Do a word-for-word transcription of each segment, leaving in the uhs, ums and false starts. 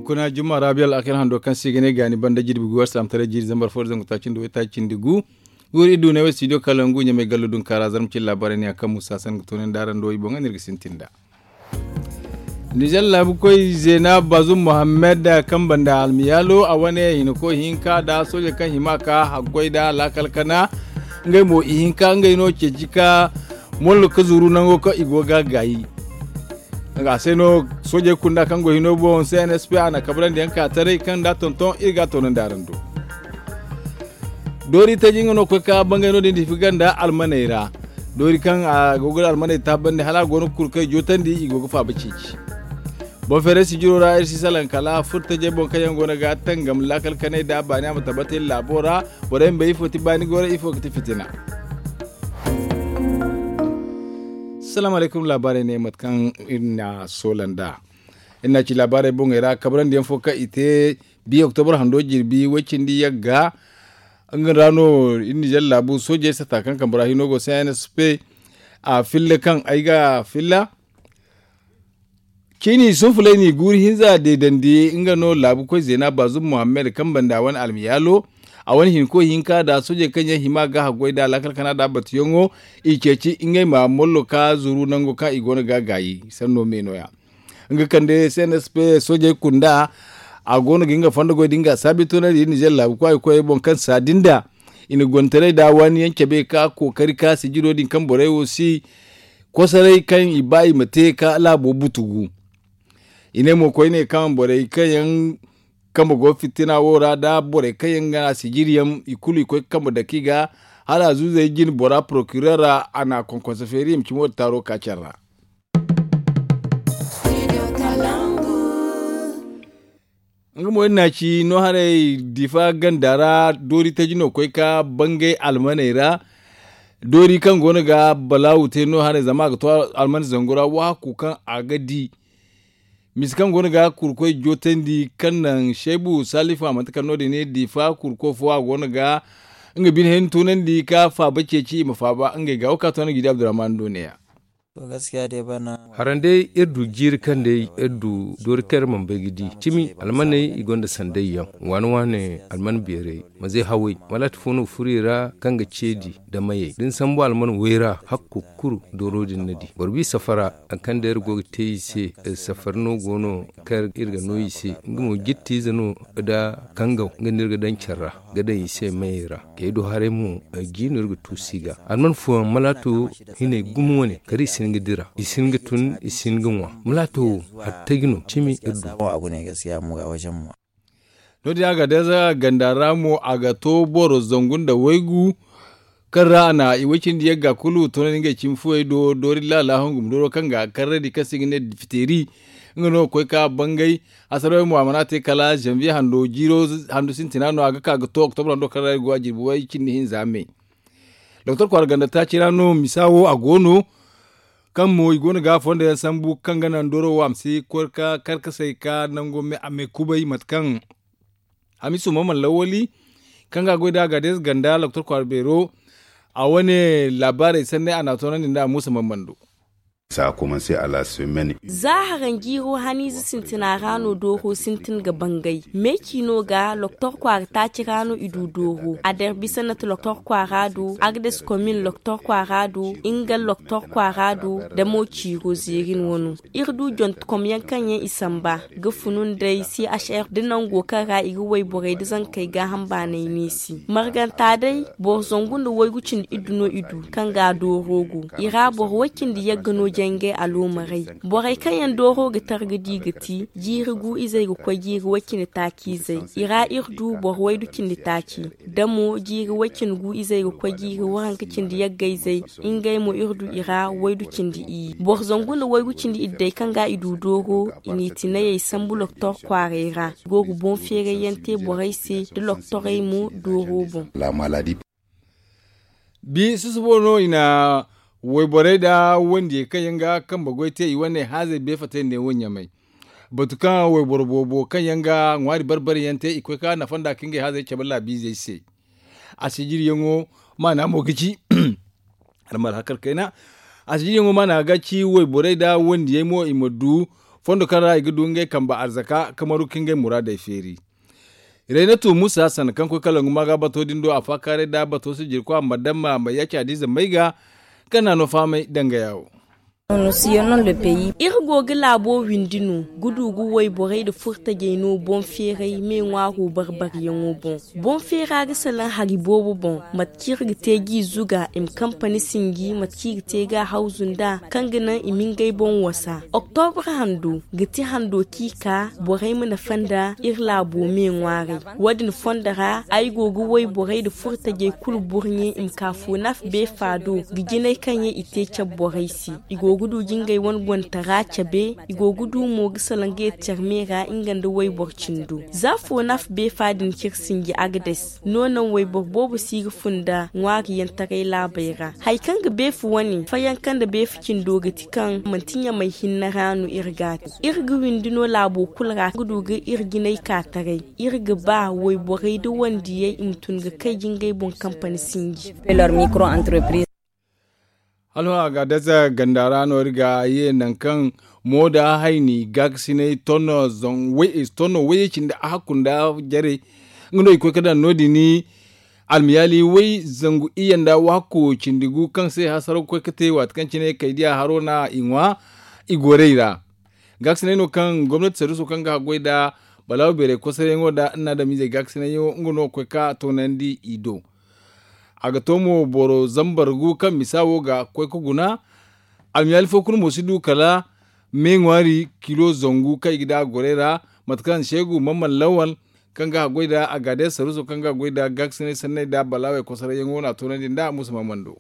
Kuna jumma raabiyal akir hando kaŋ se i ga ne gaani banda jirbi gu war saamtaray jiiri zambar fo da zangu taaci nda waytaaci cindi gu. Guuri iddu ne way studio kalangu ɲamay gallo dunkaara zarma cine laabaarey ne yaŋ kaŋ musa san ga toonandi araŋ do i boŋ ga no iri ga sintin nd'a. Nizer laabu koy zeena bazum muhammad kaŋ banda almiyaalo a wane hinako hinka nda sooje kaŋ hima ka haggoy nda laakal kana. Ngey mo ihinka ngey no ceeci ka mollo ka zuru nango kaŋ i go ga gaayi. A se no soojey kunda kaŋ go hino boŋ cnsp a na kabrandi yaŋ ka taray kaŋ nda tonton iri ga a toonandi araŋ do. Doori taji nga no koy ka bangay no din difi ganda almaney ra. Doori kaŋ a go ga almaney taabandi hala a go no ga kurkey jootandi i go ga faaba ceeci. Boŋ feeray sijiro ra iri si salaŋ kala furtajey boŋ kaŋ yaŋ go no ga tangam laakal kanay nda baani a ma tabbatay laabo ra. Borey ma bay ifo ti baani gooro ifo ga ti fitina. Salaamu alaykum laabaarey ne mate kaŋ iri na soola nd'a. Iri na ci laabaarey boŋey ra kabrandi yaŋ fo kaŋ i te. Biya oktobra hando jirbi way cindi yagga. Nga ra no iri nizer laabu soojey sata kaŋ kambe ra hino go cnsp. A filla kaŋ ay ga filla. Ciini sunfulay n'i guuri hinza deedandi nga no laabu koy zeena baazum muhammad kaŋ banda wane almiyaalo. A wane hinko hinka nda soojey kaŋ yaŋ hima ga haggoy nda laakal kana nda battuyaŋo. I ceeci ngey ma mollo ka zuru nango kaŋ i go no ga gaayi sanno me no- ya. Nga kande cnsp soojey kunda. A go no ga nga fondo goy da nga saabi toonandi nizer laabu kwaay koyey boŋ kaŋ saadi nda i na gontaray nda waani yaŋ cabe ka kookari ka sijiro din kaŋ borey wo si kosoray kaŋ i ba i ma te ka laabo butugu. I ne mo koyne kaŋ borey kaŋ yaŋ kambe go fitina wo ra nda borey kaŋ yaŋ ga na sijiri yaŋ i kulu i koy ga kambe dake i ga hala a zuuzey jine bora porokirera a na a konkonse feeri i ma cimo da taaro ka care ra. Nga mo iri na ci no haray difa ganda ra doori taji no koy ka bangay almaney ra. Doori kaŋ go no ga balaawu te no haray zama a ga to almane zangu ra waaku kaŋ a ga di. Misa kaŋ go no ga kurkoy jootandi kaŋ naŋ seebu salifu a manti kala no- din ne difa kurko fo a go no ga nga bine hayni tunandi ka faaba ceeci i ma faaba ngey ga wo ka to no ga i di abdurrahman do ne- ya. Haran day iri du jiiri kaŋ day iri du doori kaŋ iri mana bay ga di cimi almaney i gonda sanday yaŋ waane waane alman beeray mazey haway malaati fo no ga furo i ra kaŋ ga ceedi da mayey da ni sambu alman way ra hakku kulu dooro din na di boro bi safara hari kaŋ day iri go ga te i se safari no go no kaŋ iri ga no i se nga mo jittiize no da kangaw nga no iri ga daŋ care ra ga daŋ i se mayey ra kay do haray mo ay jiino iri ga tuusu i ga alman fooyaŋ malaato hinay gumo wane kala i si hin ga dira i si hin ga tun i si hin ga ŋwa malaato wo hari taji no cimi iri du. No- din a ga day za ganda ra mo a ga to boro zangu nda waygu kaŋ ra a na i way cindi yagga kulu toonandi ngey cimi fuwey do doori laala hongum dooro kaŋ ga karrandi kaŋ se i ga ne dipiteeri. Nga no ga koy ka bangay. Asarawey mo a mana te kala zanviye hando jiiro hando sintina no a ga ka ga to oktobra hando kaŋ ra iri go a jirbi way cindi hinza me. Doktor kwaara ganda taaci ra no misa wo a go no. Kaŋ mo i go no ga fondo yaŋ sambu kaŋ ga naŋ dooro wo a ma si koy ka karkasay ka nango me a me kubay mate kaŋ hamisu mamman lawali kaŋ ga a goy da a ga deeze ganda doktor kwaara beero. A wane laabaarey sanney a na a toonandi nda muusa mamman do. Za haranjiiro haniize sintina ra no dooro sintin ga bangay meeci no ga loktor kwaara taaci ra no i du dooro a derbisanat loktor kwaara do agdes komin loktor kwaara do ingal loktor kwaara do da mo ciiro zeerin wano. Iri du jontekom yaŋ kaŋ yaŋ i samba ga funu nd'ey chr da nango kaŋ ra i ga wayborey nda zankey gaaham baanay neesi marganta day boro zangu nda waygu cindi iddu no i du kaŋ ga dooro go i ra boro way cindi yagga no jangay aloomarey. Borey kaŋ yaŋ dooro ga tar ga di ga ti jiiri gu izey ga koy jiiri way cindi taaci izey i ra iri du boro waydu cindi taaci da mo jiiri way cindi gu izey ga koy jiiri waranka cindi yagga izey. Ngey mo iri du i ra waydu cindi iyye boro zangu nda waygu cindi iddu day kaŋ ga i du dooro i n'i tinayey sambu loktor kwaaray ra i go ga boŋ feeray yaŋ te borey se nda loktorey mo dooro boŋ. Bi susubo no i na wayborey nda wandiyey kaŋ yaŋ ga kambe goy te i wane haazey beefatey ne wo ɲamay. Batu kaŋ wayboro boobo kaŋ yaŋ ga ŋwaari bare bare yaŋ te i koy ka nafa nda ka ngey haazey cabe laabiizey se. A sijiriyaŋo maana mo ga ci. Almar hakar kayna a sijiriyaŋo maana ga ci wayborey nda wandiyey mo i ma du Fondo kaŋ ra i ga du ngey kambe arzaka ka maru ka ngey muraadey feeri. Reynatu musa sanda kaŋ koy kala ngu maaga bato din do a faakaaray nda bato sijirkwa madamma ma yaaci hadiize may ga kaŋ na no fahamay dangaya wo. Iri go ga laabo windi no ga du ga wayborey nda furtajey no boŋ feeray me ŋwaaro barbaryaŋo boŋ. Boŋ feera ga salaŋ hari boobo boŋ, mate kaŋ iri ga te g'i zuga i ma kampani sinji, mate kaŋ i ga te ga a hawzu nd'a kaŋ ga naŋ i ma ngey boŋ wasa. Oktobra hando ga ti hando kaŋ i ka borey ma nafa nda iri laabo me ŋwaaray. Wo- din fondo ra ay go ga wayborey nda furtajey kulu burɲe i ma ka foonaaf beefa do ga jinay kaŋ yaŋ i te cabe borey se. I go ga du ga ngey wane gontara cabe. I go ga du mo ga salaŋ ga yeti care me ra nga nda wayboro cindo. Za foonaaf beefa din kaŋ iri sinji agades no naŋ wayboro boobo si ga funda ŋwaariyantaray laabey ra. Hari kaŋ ga beefa wane fayanka nda beefa cindo ga ti kaŋ manti ɲamay hinne ra no iri ga a te. Iri ga windi no laabo kulu ra ga du ga iri jinay ka taray. Iri ga ba wayborey nda wandiyey i ma tun ga kay ga ngey boŋ kampani sinji. Hala hõ a ga a daza ganda ra no iri ga ye nangu kaŋ mooda hayni gaakasinay tonno wayye cindi a hakku nda jarey. Nga no i koy ga daŋ no- din almiyaali way zangu iyye nda waako cindi gu kaŋ se hasaro ga koy ga te waati kaŋ cine kay diya haro na i ŋwa i gorey ra. Gaakasinay no kaŋ gomnati sarruso kaŋ ga haggoy nda balaawo beeray kosaryaŋo nda nna adamizey gaakasinayyaŋo nga no ga koy ga toonandi i do. A ga to mo boro zambar gu kaŋ misa wo ga koy ga guna. Almiyaali fo kulu mo si du kala me ŋwaari kilo zangu kaŋ i ga daŋ a gorey ra. Mate kaŋ seegu mamman lawal kaŋ ga haggoy nda a ga day sarruso kaŋ ga goy nda gaakasinay sanney nda balaawey kosarayyaŋo no a toonandi nda musa mamman do.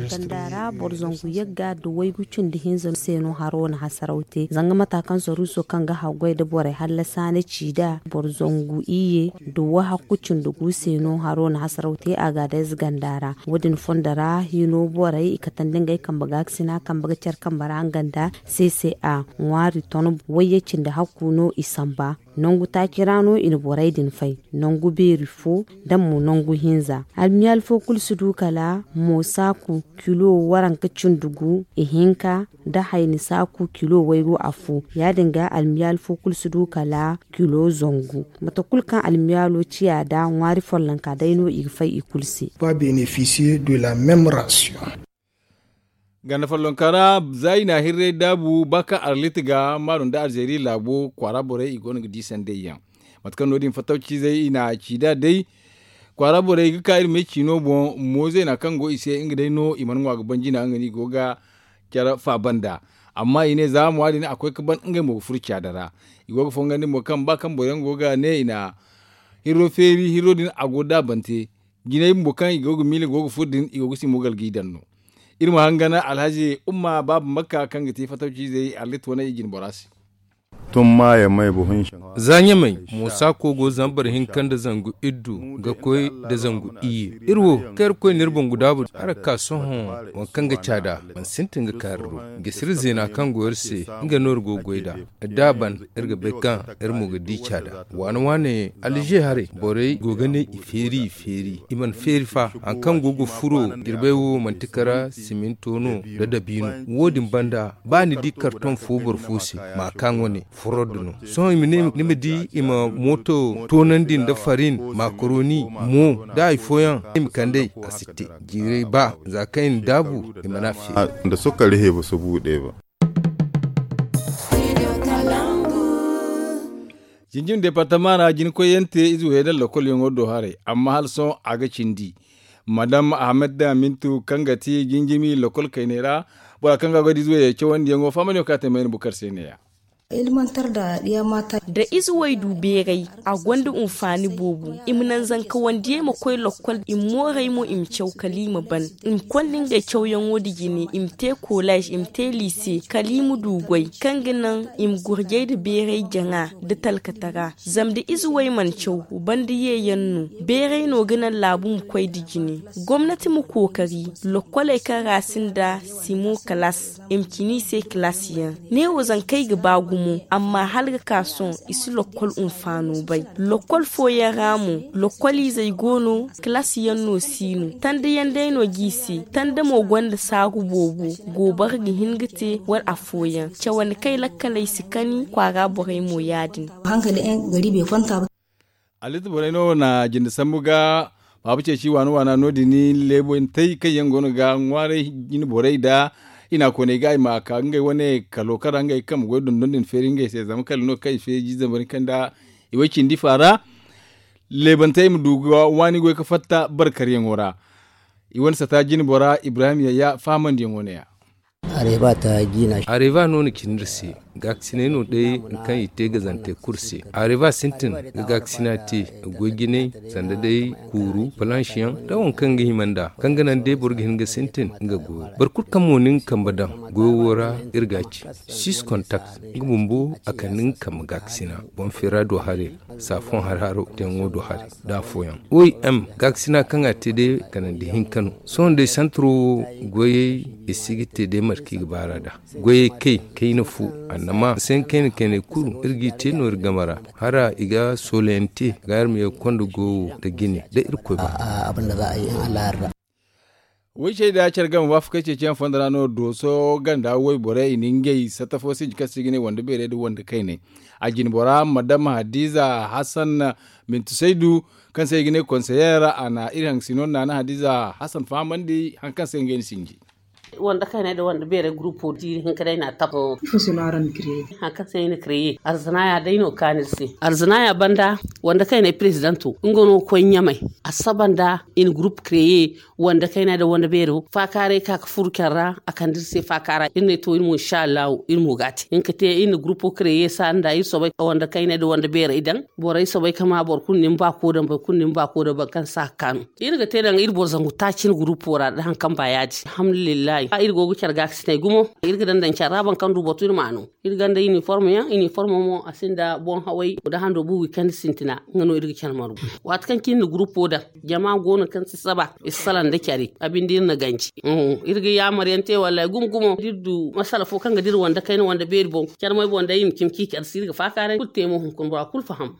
Ganda ra boro zangu yagga nda waygu cindi hinza se no haro na hasaraw te zanga mata kaŋ saruuso kaŋ ga haggoy nda borey hallasa na ci nd'a boro zangu iyye nda wahakku cindi gu se no haro na hasaraw te a ga day za ganda ra. Wo- din fondo ra hino borey i katandi ngey kambe gaakasina kambe ga care kambe ra nga nda c c a ŋwaari ton wayye cindi hakku no i samba. Nangu taaci ra no i na borey din fay nangu beeri fo nda mo nangu hinza. Almiyaali fo kulu si du kala mo saaku kilo waranka cindi gu ihinka nda hayni saaku kilo waygu afo. Ya- din ga almiyaali fo kulu si du kala kilo zangu. Mate kulu kaŋ almiyaalo ciya nd'a ŋwaari follonka day no i ga fay i kulu se. Ganda follonka ra za i na a hirray daabu ba kaŋ arlit ga maaru nda alzeeri laabo kwaara borey i go no ga di sanday yaŋ. Mate kaŋ no- din fattaw ciizey i na a ci nd'a day kwaara borey ga ka iri me ciino boŋ. Moozeena kaŋ go i se nga day no i mana ŋwa ga ban jina nga no i go ga care faaba nd'a. Amma i ne za mo ya- din a koy ga ban ngey mo ga furo caada ra. I go ga fongandi mo kaŋ ba kaŋ boro yaŋ go ga ne i na hirro feeri hirro din a go daabante. Jinay bumbo kaŋ i go ga miila go ga furo din i go ga si mogal g'i daŋ no. Iri ma hangan alhazi umma baaba makka kaŋ ga te fatawciizey arlit wane i jine bora se. Za ɲamay moosa kogo zambar hinka nda zangu iddu ga koy nda zangu iyye. Iri wo kaŋ iri koy no iri boŋ ga daabu hala ga ka sohõ waŋ kaŋ ga caada mana sintin ga kaari do. Gisiri zeena kaŋ go iri se nga no iri go ga goy nd'a. Da a ban iri ga bay kaŋ iri mo ga di caada waane waane alje haray borey go ga ne i feeri i feeri i mana feeri fa. Hari kaŋ go ga furo jirbey wo manti kara siminto no nda dabiino. Wo- din banda ba ni di kartoŋ fo boro fo se ma kaŋ wane forod no. Sohõ i ma ne ni ma di i ma mooto toonandi nda farin makaroni mo da hari fooyaŋ i ma kand'ey a si te. Jiirey ba za kaŋ i na daabu i mana feeri. Jinjin departama ra jina koyyaŋ te ize wo yaŋ daŋ lokolyaŋo do haray amma hala sohõ a ga cindi. Madam ahamed da mintu kaŋ ga ti jinjimi lokol kayney ra bora kaŋ ga goy da ize wo yaŋ cawandiyaŋo fahamay no kaŋ a te mayna bukar se ne- ya. Da ize wo ay du beeray a gonda hunfaani boobo. I ma naŋ zanka wandiyey ma koy lokkol i ma mooray mo i ma caw kala i ma ban. I ma konda ngey cawyaŋo nda jine i ma te koolaz i ma te liise kala i ma du goy kaŋ ga naŋ i ma gurjay nda beeray jaŋa nda talkatara. Zama da ize wo ay mana caw banda yeeyaŋ no. Beeray no ga naŋ laabu ma koy nda jine. Gomnati ma kookari lokkoley kaŋ ra sinda simo kalaas i ma cine i se kalaasiyaŋ. Neewo zanka ay ga ba gumo. Mo amma hala ga ka sohõ i si lokkol hunfaano bay. Lokkol fooyaŋ ra mo lokkol izey go no, kalaasi yaŋ no si no, tanda yaŋ day no g'i se. Tanda mo gonda saagu boobo. Goobara ga hin ga te wala afooyaŋ cawandi kaŋ ay lakkaley si kani kwaara borey mo ya- din. Aliti borey no na jinde sambu ga baaba ceeci waana waana no- din. Leebantey kaŋ yaŋ go no ga ŋwaaray jine borey nda i na a koonay ga i ma ka ngey wane kalo kaŋ ra ngey kambe goy dondon din feeri ngey se zama kala no kaŋ i feeji zambar kaŋ nda i way cindi faara. Leebantey ma du ga waani goy ga fatta barkaryaŋo ra. I wane sata jine bora ibrahim yayya fahamandiyaŋo ne- ya. Areva no na cindi iri se. Gaakasinay no day kaŋ i te gazante kulu se. Areva sintin ga gaakasina te. Goy jinay sanda day kuuru palansiyaŋ da waŋ kaŋ ga hima nd'a kaŋ ga naŋ day boro ga hin ga sintin nga goyo. Boro kulu kaŋ mo na nga kambe daŋ goyo wo ra, iri ga a ci. Six kontak nga bumbo a kande nga kambe gaakasina. Boŋ feera do haray. Saafoŋ har haro teŋo do haray da afooyaŋ. Oy m gaakasina kaŋ a te day kanandi hinka no. Sohõ day santaro wo goyey i si ga te day mate kaŋ i ga baar'a nd'a. Goyey kay kayna fu annama a se nga kayna kaynay kulu iri g'i te no iri game ra. Hara i ga soolayaŋ te ga iri ma ye ga konda goyo nda jine da irkoy ba. Waycey da care game waafakey ceeciyaŋ fondo ra no dooso ganda wayborey i na ngey satta fo sinji kaŋ se i ga ne wande beerey nda wande kayney. A jine bora madam hadiza hasan mintu saydu kaŋ se i ga ne konseyer a na iri haŋ sino naana hadiza hasan fahamandi hari kaŋ se ngey na sinji. Wande kayney nda wande beerey gurupo diiri hinka day no a tabu. Hari kaŋ se i na kreye arzanaya day no kaanu iri se. Arzanaya banda wande kayney perezidanto nga no ga koy ɲamay. A saba nda i na gurup kreye wande kayney nda wande beero faakaaray ka ga furu care ra a kande iri se faakaara iri ne to iri mo insa allahu iri mo ga a te. Hinka te iri na gurupo kreye saara nda iri soobay ka wande kayney nda wande beerey daŋ. Borey soobay ka ma boro kulu na ni baako daŋ boro kulu na ni baako daŋ boro kaŋ si a ga kaanu. Iri ga te daŋ iri boro zangu taaci ni gurupo ra nda hari kaŋ ba ya-din alhamdulillahi. Iri go ga care gaakasiney gumo. Iri ga daŋ daŋ care ra boro kaŋ du batu iri m'a no. Iri gonda iniform yaŋ iniform mo a sinda boŋ haway nda hando buubi kaŋ ni sintina. Nga no iri ga care margu waati kaŋ cine ni gurupo daŋ. Jama go no kaŋ si saba i si salaŋ nda care. A binde iri na ganji. Iri ga yaamar yaŋ te wallaahi gumo gumo da iri du masala fo kaŋ ga dira wande kayna wande beeri boŋ care moy boŋ day iri ma cimi ciici arsi iri ga faakaaray kulu te mo hunkuna bora kulu faham.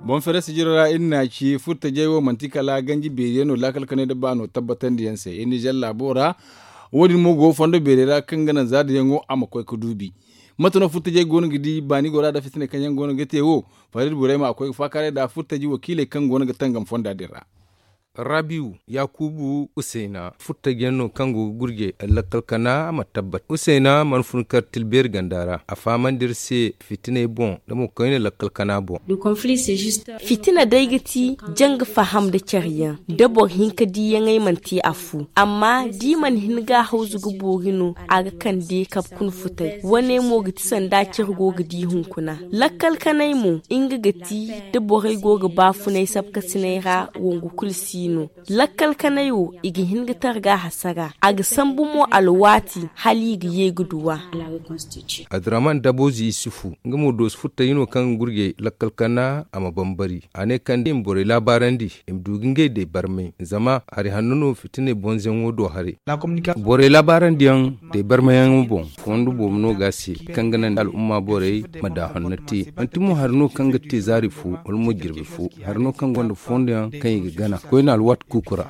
Boŋ fere sijiro ra iri na ci furtajey wo manti kala ganji beeriyaŋ no laakal kanay nda baano tabbatandiyaŋ se iri nizer laabo ra. Wo- din mo go fondo beerey ra kaŋ ga naŋ zaadayaŋo a ma koy ga duubi. Mate no furtajey go no ga di baani gora nda fitiney kaŋ yaŋ go no ga te wo? Fari iri borey ma a koy ga faakaaray nda furtaji wakiiley kaŋ go no ga tangam fonda din ra. Rabiyu yaakuubu usayna furtajiyaŋ no kaŋ go ga gurje lakkal kana a ma tabbat usayna mana fun kar tilbeeri ganda ra a fahamandi iri se fitiney boŋ nda mo koyne lakkal kana boŋ. Fitina day ga ti janga faham nda care yaŋ da boro hinka diiyaŋey mana te afo amma da i mana hin ga a hawzu ga boori no. A ga kande kabe kuna futay wane mo ga ti sanda care go ga di hunkuna. Lakkal kanay mo nga ga ti da borey go ga baafunay sabkasinay ra wangu kulu si no. Lakkal kanay wo i ga hin ga targa hasara a ga sambu mo alwaati hala i ga ye ga duw'a. Adiraman daboozi isufu nga mo doosi furtaji no kaŋ ga gurjay lakkal kana a ma bambari a ne kala da i ma borey laabaarandi i ma du ga ngey day barmay zama hari hanno no fitiney bonzayaŋo do haray. Borey laabaarandi yaŋ day barmayyaŋo boŋ fondo boobo no ga a se kaŋ ga naŋ al'umma borey ma daahanno te. Manti mo hari no kaŋ ga te zaari fo wala mo jirbi fo hari no kaŋ gonda fondo yaŋ kaŋ i ga gana koyne alwaati kuuku ra.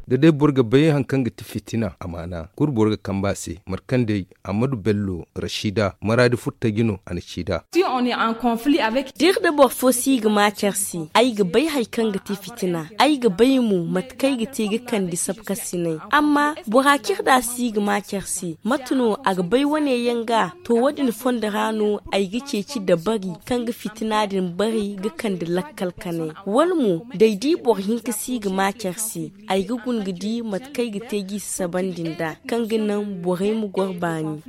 Da day boro ga bay hari kaŋ ga ti fitina amaana kulu boro ga kambe a se mate kaŋ day ammadu bello rashida maraadi furtaji no a na ci nd'a. Da iri nda boro fo si ga ma care se ay ga bay hari kaŋ ga te fitina. Ay ga bay mo mate kaŋ ay ga te ga kande sabkasinay. Amma bora kaŋ iri da si ga ma care se mate no a ga bay wane yaŋ ga? To wo- din fondo ra no ay ga ceeci dabari kaŋ ga fitina din bari ga kande lakkal kanay wala mo da ay di boro hinka si ga ma care se ay ga guna ga di mate kaŋ ay ga te g'i sasabandi nd'a kaŋ ga naŋ borey ma goro baani.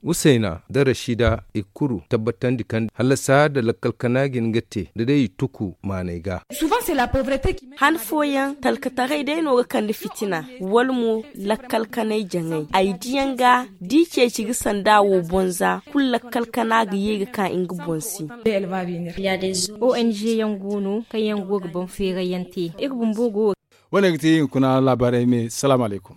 Usayna nda rashida i kulu tabbatandi kaŋ hallasa nda lakkal kana ga hin ga te da day i tuku maanay ga. Han fooyaŋ talkataray day no ga kande fitina wala mo lakkal kanay jaŋay ay diyaŋ ga da i ceeci ga sanda wo bonza kulu lakkal kana ga ye ga ka nga boŋ se. Ong yaŋ go no kaŋ yaŋ go ga boŋ feeray yaŋ te iri bumbo go. Wo- ne ga ti hunkuna laabaarey me salaamu alaykum.